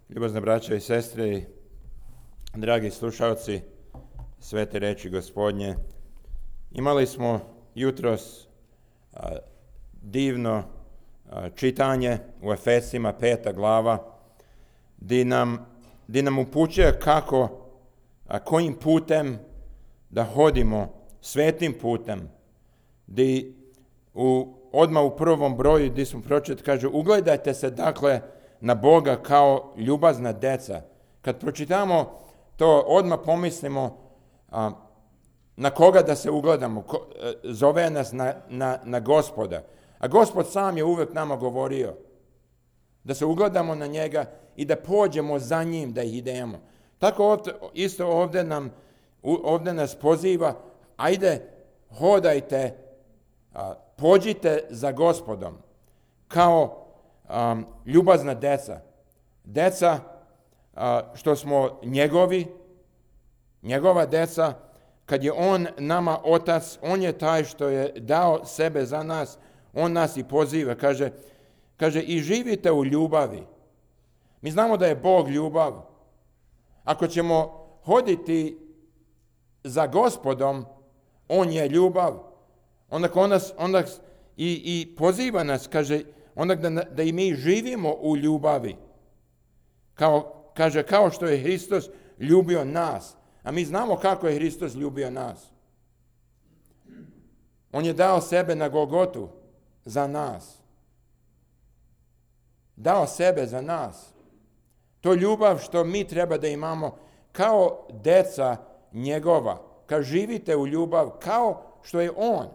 Ljubazne braćo i sestre, dragi slušalci svete reči Gospodnje, imali smo jutros divno čitanje u Efesima 5. glava, gdje nam upućuje kojim putem da hodimo svetim putem, gdje odmah u prvom broju gdje smo pročitali, kaže, ugledajte se dakle na Boga kao ljubazna deca. Kad pročitamo to, odmah pomislimo na koga da se ugledamo. Zove nas na Gospoda. A Gospod sam je uvijek nama govorio da se ugledamo na njega i da pođemo za njim, da idemo. Tako isto ovdje nas poziva, ajde, hodajte, pođite za Gospodom kao ljubazna deca. Deca što smo njegova deca, kad je on nama otac, on je taj što je dao sebe za nas, on nas i poziva. Kaže i živite u ljubavi. Mi znamo da je Bog ljubav. Ako ćemo hoditi za Gospodom, on je ljubav. Onda i poziva nas, kaže, onda da i mi živimo u ljubavi. Kao što je Hristos ljubio nas. A mi znamo kako je Hristos ljubio nas. On je dao sebe na Golgotu za nas. Dao sebe za nas. To ljubav što mi treba da imamo kao deca njegova. Kad živite u ljubav kao što je on.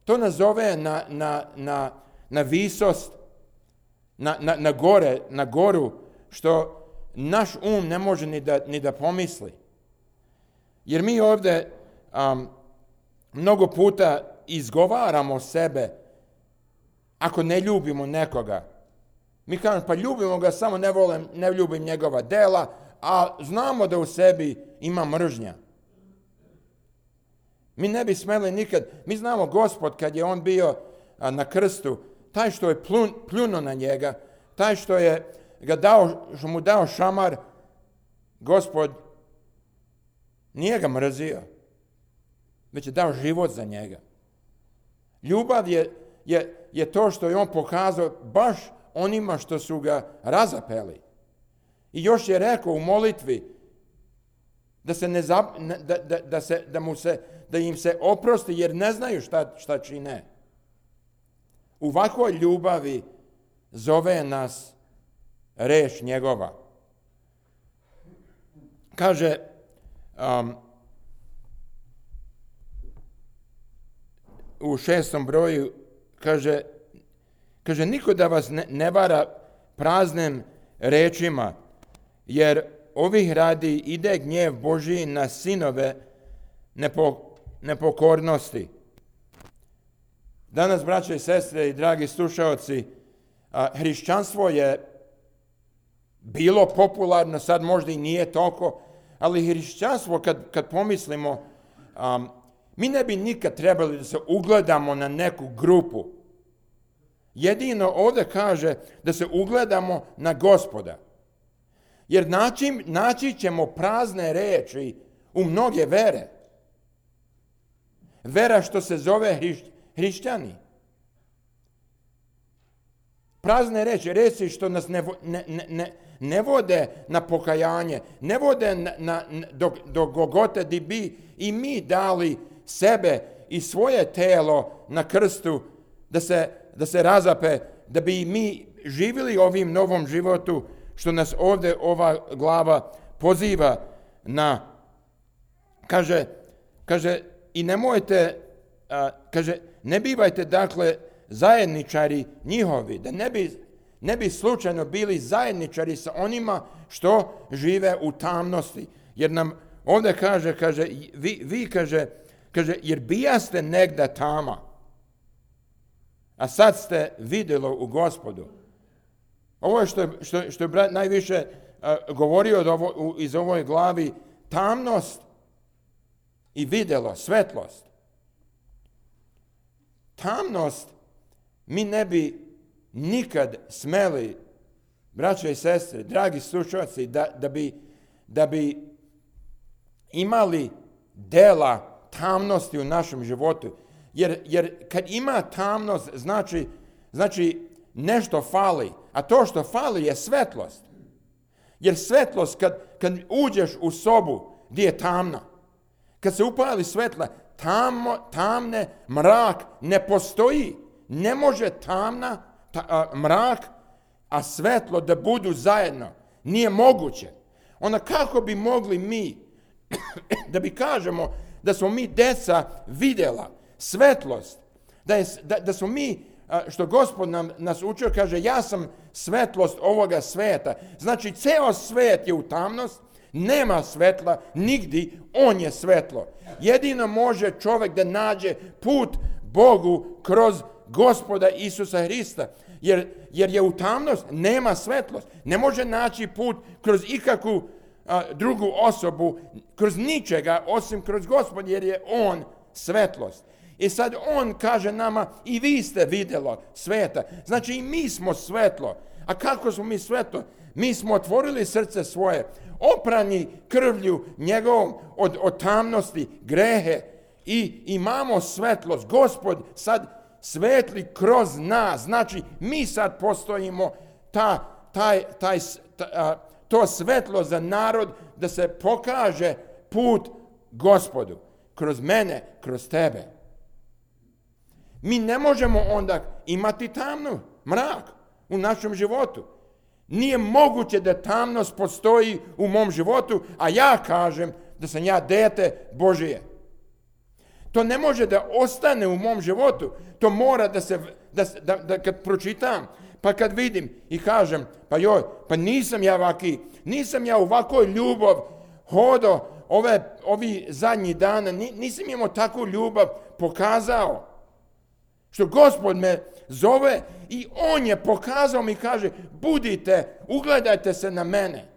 To nas zove na visost, na goru, što naš ne može ni da pomisli. Jer mi ovdje mnogo puta izgovaramo sebe ako ne ljubimo nekoga. Mi kažemo, pa ljubimo ga, samo ne ljubim njegova dela, a znamo da u sebi ima mržnja. Mi ne bi smeli nikad, mi znamo Gospod kad je on bio na krstu, taj što je pljunuo na njega, taj što mu dao šamar, Gospod nije ga mrzio, već je dao život za njega. Ljubav je to što je on pokazao baš onima što su ga razapeli. I još je rekao u molitvi da im se oprosti jer ne znaju šta čine. U ovakvoj ljubavi zove nas reč njegova. Kaže, u 6. broju, kaže niko da vas ne vara praznim rečima, jer ovih radi ide gnjev Božji na sinove nepokornosti. Danas, braće i sestre i dragi slušalci, hrišćanstvo je bilo popularno, sad možda i nije toliko, ali hrišćanstvo, kad pomislimo, mi ne bi nikad trebali da se ugledamo na neku grupu. Jedino ovdje kaže da se ugledamo na Gospoda. Jer naći ćemo prazne reči u mnoge vere. Vera što se zove hrišćani. Prazne reči što nas ne vode na pokajanje, ne vode do Golgote gdje bi i mi dali sebe i svoje telo na krstu da se razape, da bi mi živjeli ovim novom životu što nas ovdje ova glava poziva na. Kaže i nemojte, ne bivajte dakle zajedničari njihovi, da ne bi slučajno bili zajedničari sa onima što žive u tamnosti. Jer nam ovdje kaže vi jer bijaste negda tama, a sad ste vidjelo u Gospodu. Ovo je što je brat najviše govorio iz ovoj glavi, tamnost i vidjelo, svetlost. Tamnost mi ne bi nikad smeli braćo i sestre, dragi slušalci, da bi imali dela tamnosti u našem životu. Jer kad ima tamnost, znači nešto fali. A to što fali je svetlost. Jer svetlost, kad uđeš u sobu gdje je tamna, kad se upali svetla, tamne, mrak ne postoji. Ne može mrak, a svetlo da budu zajedno. Nije moguće. Onda kako bi mogli mi, da bi kažemo da smo mi deca vidjela svetlost, da smo mi, što Gospod nas učio, kaže, ja sam svetlost ovoga sveta. Znači, ceo svet je u tamnost, nema svetla nigdje, on je svetlo. Jedino može čovjek da nađe put Bogu kroz Gospoda Isusa Hrista. Jer je u tamnost, nema svetlost. Ne može naći put kroz ikakvu drugu osobu, kroz ničega, osim kroz Gospod, jer je on svetlost. I sad on kaže nama, i vi ste vidjelo sveta. Znači i mi smo svetlo. A kako smo mi svetlo? Mi smo otvorili srce svoje, oprani krvlju njegovom od tamnosti, grehe, i imamo svetlost. Gospod sad svetli kroz nas. Znači mi sad postojimo to svetlo za narod, da se pokaže put Gospodu. Kroz mene, kroz tebe. Mi ne možemo onda imati mrak u našem životu. Nije moguće da tamnost postoji u mom životu, a ja kažem da sam ja dete Božije. To ne može da ostane u mom životu. To mora da kad pročitam, pa kad vidim i kažem, pa nisam ja ovako ljubav hodao ovi zadnji dana, nisam imao takvu ljubav pokazao. Što Gospod me zove i on je pokazao mi, kaže, budite, ugledajte se na mene.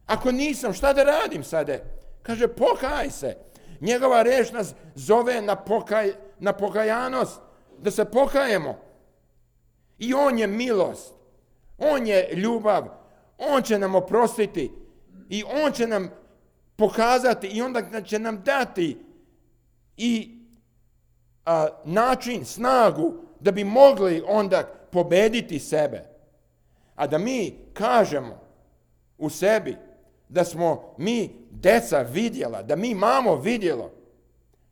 Ako nisam, šta da radim sada? Kaže, pokaj se. Njegova reč nas zove na pokajanost, da se pokajemo. I on je milost, on je ljubav, on će nam oprostiti i on će nam pokazati i onda će nam dati i način, snagu da bi mogli onda pobediti sebe. A da mi kažemo u sebi da smo mi deca vidjela, da mi imamo vidjelo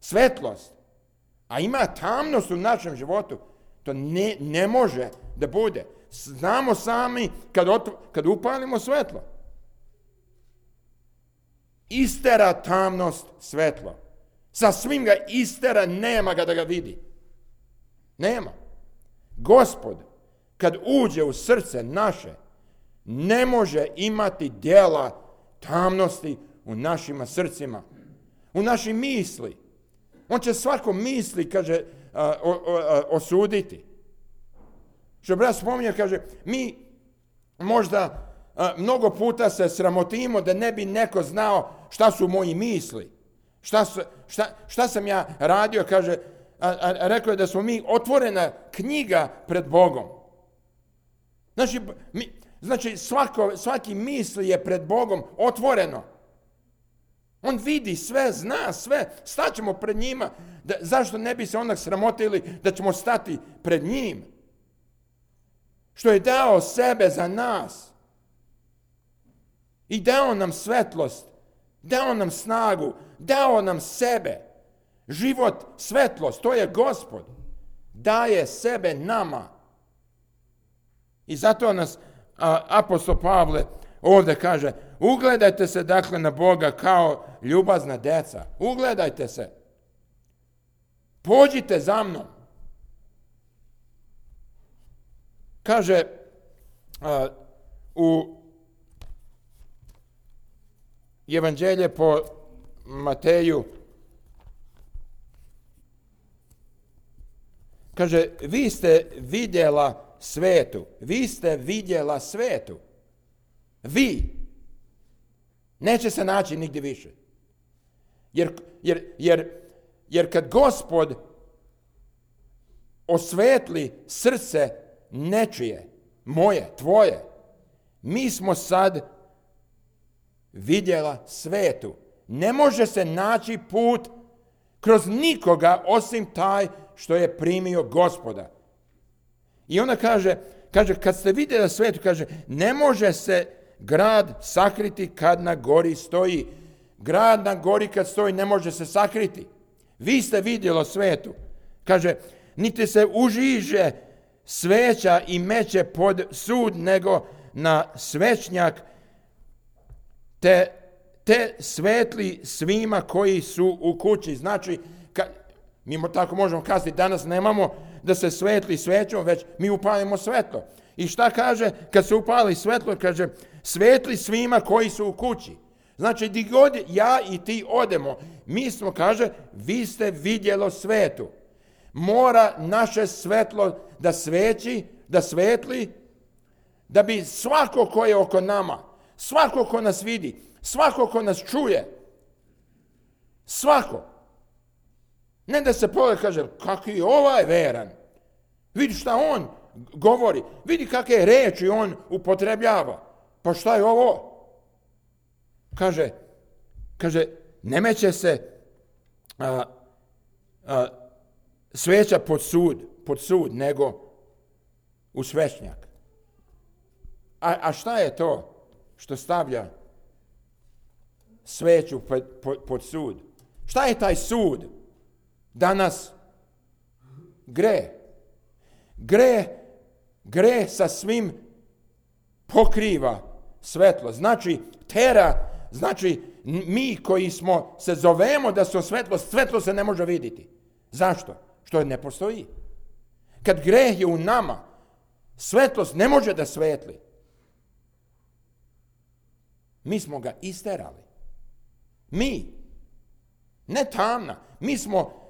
svetlost, a ima tamnost u našem životu, to ne može da bude. Znamo sami kad upalimo svetlo. Istera tamnost svetlo. Sa svim ga istera, nema ga da ga vidi. Nema. Gospod, kad uđe u srce naše, ne može imati djela tamnosti u našim srcima, u našim misli. On će svako misli, kaže, osuditi. Što brat spominje, kaže, mi možda mnogo puta se sramotimo da ne bi neko znao šta su moji misli. Šta sam ja radio, kaže, rekao je da smo mi otvorena knjiga pred Bogom. Znači svaki misli je pred Bogom otvoreno. On vidi sve, zna sve, staćemo pred njima. Zašto ne bi se onda sramotili da ćemo stati pred njim? Što je dao sebe za nas. I dao nam svetlost, dao nam snagu, dao nam sebe. Život, svetlost, to je Gospod. Daje sebe nama. I zato nas apostol Pavle ovdje kaže, ugledajte se dakle na Boga kao ljubazna deca. Ugledajte se. Pođite za mnom. Kaže u Evanđelje po Mateju, kaže, vi ste vidjela svetu. Vi ste vidjela svetu. Vi. Neće se naći nigdje više. Jer kad Gospod osvetli srce nečije, moje, tvoje. Mi smo sad vidjela svetu. Ne može se naći put kroz nikoga osim taj što je primio Gospoda. I ona kaže, kad ste vidjeli svetu, kaže, ne može se grad sakriti kad na gori stoji. Grad na gori kad stoji ne može se sakriti. Vi ste vidjeli svetu. Kaže, niti se užiže sveća i meće pod sud, nego na svećnjak, te svetli svima koji su u kući. Znači, mi tako možemo kazati, danas nemamo da se svetli svećom, već mi upalimo svetlo. I šta kaže kad se upali svetlo? Kaže, svetli svima koji su u kući. Znači, gdje god ja i ti odemo, mi smo, kaže, vi ste vidjelo svetu. Mora naše svetlo da sveći, da svetli, da bi svako ko je oko nama, svako ko nas vidi, svako ko nas čuje, svako. Ne da se pogleda, kaže, kako je ovaj veran. Vidi šta on govori, vidi kakve reči on upotrebljava. Pa šta je ovo? Kaže, ne meće se sveća pod sud, nego u svećnjak. A šta je to što stavlja sveću pod sud? Šta je taj sud? Danas gre sa svim pokriva svetlo. Znači, znači mi koji se zovemo da su svetlo se ne može vidjeti. Zašto? Što ne postoji. Kad greh je u nama, svetlost ne može da svetli. Mi smo ga isterali. Mi. Ne tamna. Mi smo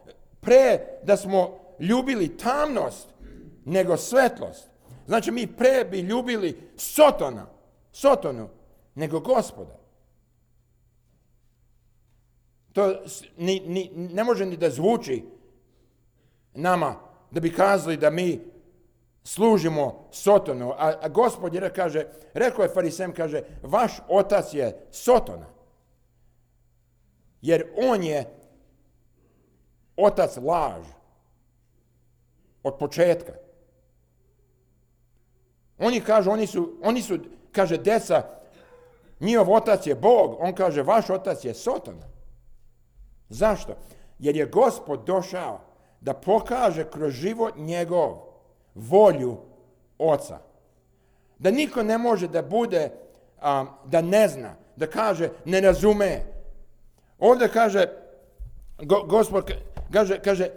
da smo ljubili tamnost nego svetlost. Znači mi bi ljubili Sotonu nego Gospoda. To ne može ni da zvuči nama da bi kazali da mi služimo Sotonu. A Gospod rekao je Farisejima, kaže, vaš otac je Sotona. Jer on je otac laž od početka. Oni su, kaže, deca, njihov otac je Bog, on kaže, vaš otac je Sotona. Zašto? Jer je Gospod došao da pokaže kroz život njegov volju oca. Da niko ne može da bude, da ne zna, da kaže, ne razume. Ovdje kaže, Gospod kaže,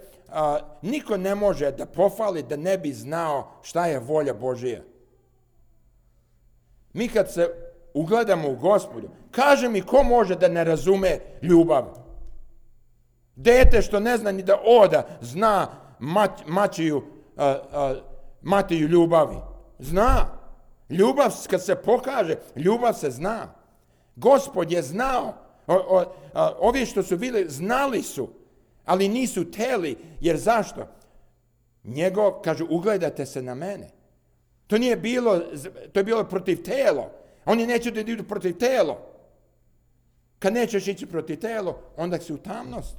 niko ne može da pohvali da ne bi znao šta je volja Božija. Mi kad se ugledamo u Gospodu, kaže mi ko može da ne razume ljubav? Dete što ne zna ni da oda, zna Matiju ljubavi. Zna. Ljubav kad se pokaže, ljubav se zna. Gospod je znao. Ovi što su bili, znali su, ali nisu teli. Jer zašto? Kaže, ugledajte se na mene. To je bilo protiv telo. Oni neće da idu protiv telo. Kad nećeš ići protiv telo, onda si u tamnost.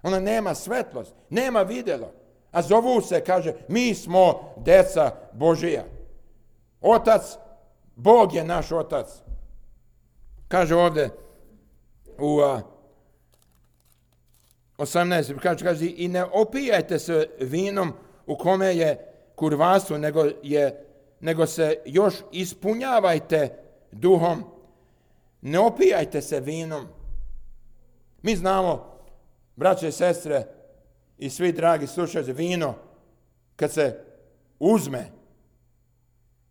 Ona nema svetlost, nema vidjelo. A zovu se, kaže, mi smo deca Božija. Otac, Bog je naš otac. Kaže ovdje u 18. Kaže, i ne opijajte se vinom u kome je kurvarstvo, nego se još ispunjavajte duhom. Ne opijajte se vinom. Mi znamo, braće i sestre i svi dragi slušalci, vino kad se uzme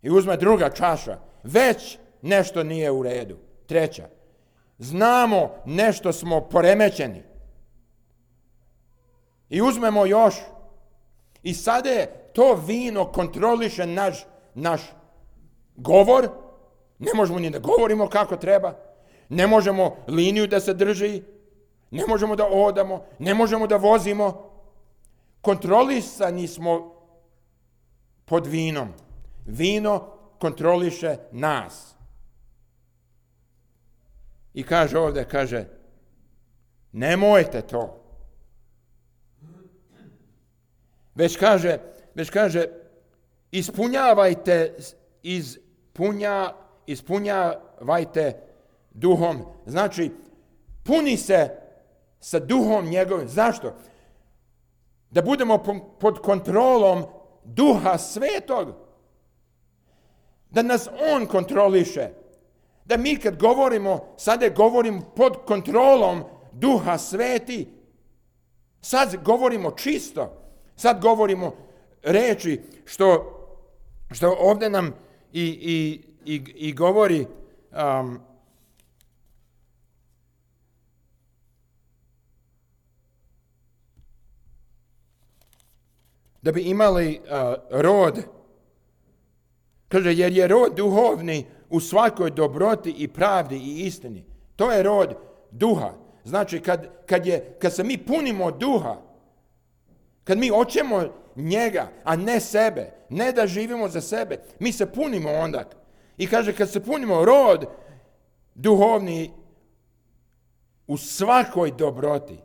i uzme druga čaša, već nešto nije u redu. Treća. Znamo nešto smo poremećeni. I uzmemo još. I sada je to vino kontroliše naš govor. Ne možemo ni da govorimo kako treba. Ne možemo liniju da se drži. Ne možemo da odamo. Ne možemo da vozimo. Kontrolisani smo pod vinom. Vino kontroliše nas. I kaže ovdje, nemojte to. Već kaže, ispunjavajte duhom. Znači, puni se sa duhom njegovim. Zašto? Da budemo pod kontrolom Duha Svetog. Da nas on kontroliše. Da mi kad govorimo, sada govorimo pod kontrolom Duha Sveti. Sad govorimo čisto. Sad govorimo reči što ovdje nam i govori da bi imali rod. Kaže, jer je rod duhovni u svakoj dobroti i pravdi i istini. To je rod duha. Znači, kad se mi punimo duha, kad mi hoćemo njega, a ne sebe, ne da živimo za sebe, mi se punimo onda. I kaže, kad se punimo rod duhovni u svakoj dobroti,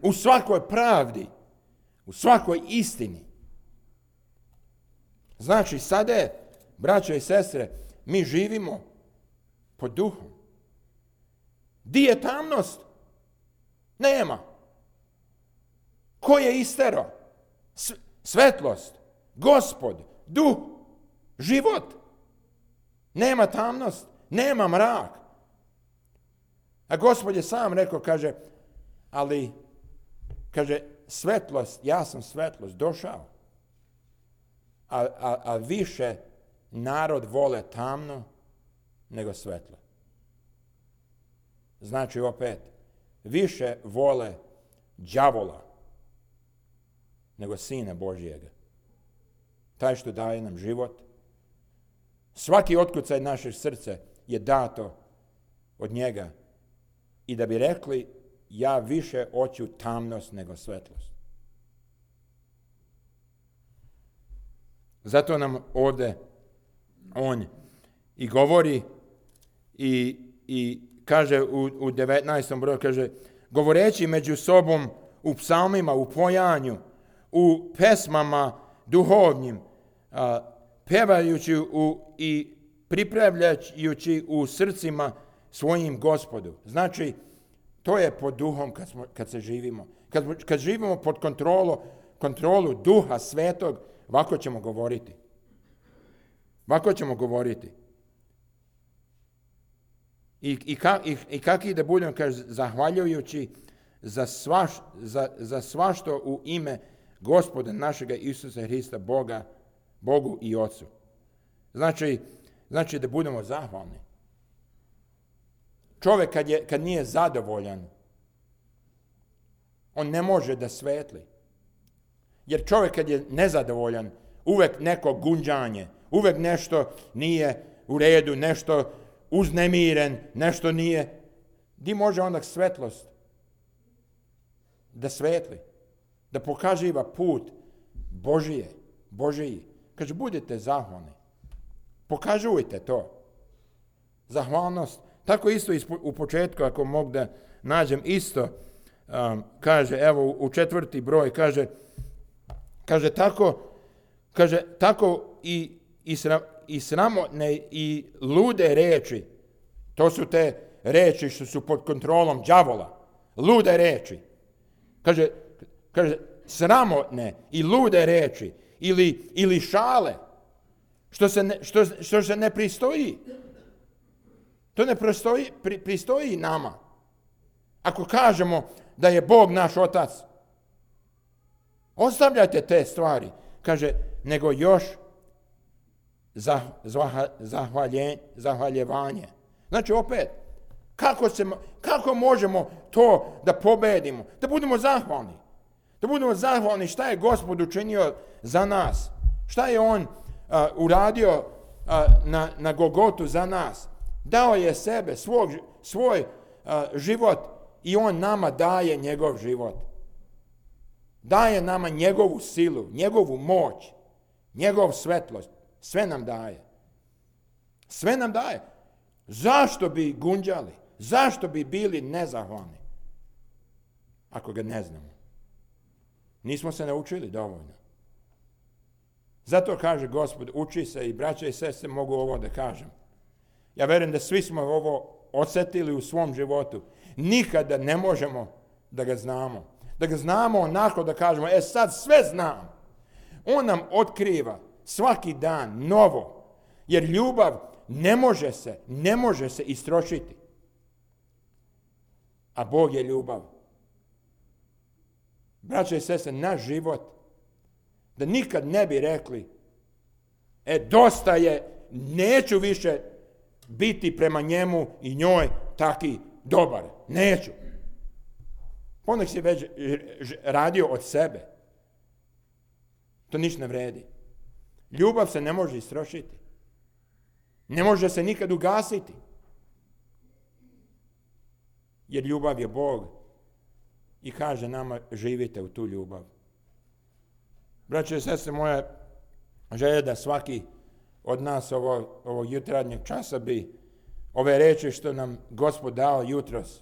u svakoj pravdi, u svakoj istini. Znači, sada, braćo i sestre, mi živimo pod duhom. Di je tamnost? Nema. Ko je istero? Svetlost, Gospod, duh, život. Nema tamnost, nema mrak. A Gospod je sam rekao, kaže, svetlost, ja sam svetlost, došao. A više narod vole tamno nego svetlo. Znači opet, više vole đavola nego Sina Božijega. Taj što daje nam život. Svaki otkucaj našeg srca je dato od njega. I da bi rekli, ja više hoću tamnost nego svetlost. Zato nam ovdje on i govori i kaže u 19. broju, kaže, govoreći među sobom u psalmima, u pojanju, u pesmama duhovnim, pevajući i pripravljajući u srcima svojim Gospodu. Znači, to je pod duhom kad se živimo. Kad živimo pod kontrolu Duha Svetog, ovako ćemo govoriti. Ovako ćemo govoriti. I kaki da budemo, kaže, zahvaljujući za svašto u ime Gospoda našega Isusa Hrista, Bogu i Otcu. Znači da budemo zahvalni. Čovjek kad nije zadovoljan, on ne može da svetli. Jer čovjek kad je nezadovoljan, uvek neko gunđanje, uvek nešto nije u redu, nešto uznemiren, nešto nije. Di može onda svetlost da svetli, da pokaživa put Božiji. Kaže, budite zahvalni. Pokažujte to. Zahvalnost. Tako isto u početku, ako mogu da nađem isto, kaže, evo u 4. broj, kaže tako i sramotne i lude reči, to su te reči što su pod kontrolom đavola, lude reči. Kaže sramotne i lude reči ili šale, što se ne pristoji. To ne pristoji nama. Ako kažemo da je Bog naš Otac, ostavljajte te stvari. Kaže, nego još zahvaljevanje. Znači opet, kako možemo to da pobedimo? Da budemo zahvalni. Da budemo zahvalni šta je Gospod učinio za nas. Šta je On uradio na Golgotu za nas. Dao je sebe, svoj život i On nama daje njegov život. Daje nama njegovu silu, njegovu moć, njegov svetlost. Sve nam daje. Sve nam daje. Zašto bi gunđali? Zašto bi bili nezahvalni? Ako ga ne znamo. Nismo se naučili dovoljno. Zato kaže Gospod, uči se, i braća i sestre mogu ovo da kažem. Ja verujem da svi smo ovo osjetili u svom životu. Nikada ne možemo da ga znamo. Da ga znamo onako da kažemo, sad sve znam. On nam otkriva svaki dan novo. Jer ljubav ne može se istrošiti. A Bog je ljubav. Braća i sestre, naš život, da nikad ne bi rekli, dosta je, neću više biti prema njemu i njoj taki dobar. Neću. Ponekad si već radio od sebe. To ništa ne vredi. Ljubav se ne može istrošiti. Ne može se nikad ugasiti. Jer ljubav je Bog. I kaže nama, živite u tu ljubav. Braće i sestre, moja želja da svaki od nas ovog jutarnjeg časa bi ove reči što nam Gospod dao jutros,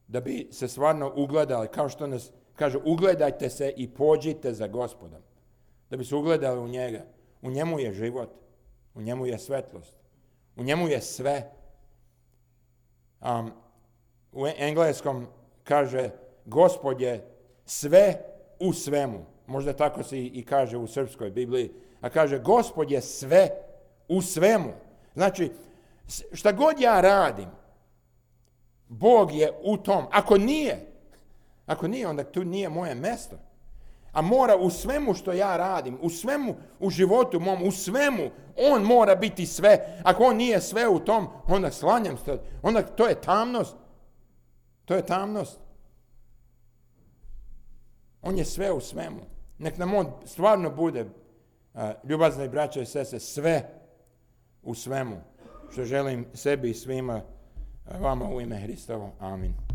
da bi se stvarno ugledali, kao što nas kaže, ugledajte se i pođite za Gospodom. Da bi se ugledali u njega. U njemu je život, u njemu je svetlost, u njemu je sve. U engleskom kaže, Gospod je sve u svemu. Možda tako se i kaže u srpskoj Bibliji. A kaže, Gospod je sve u svemu. Znači, šta god ja radim, Bog je u tom. Ako nije, onda tu nije moje mesto. A mora u svemu što ja radim, u svemu, u životu mom, u svemu, on mora biti sve. Ako on nije sve u tom, onda slanjam se. Onda to je tamnost. To je tamnost. On je sve u svemu. Nek nam on stvarno bude, ljubazni braća i sestre, sve u svemu. Što želim sebi i svima vama u ime Hristovo. Amin.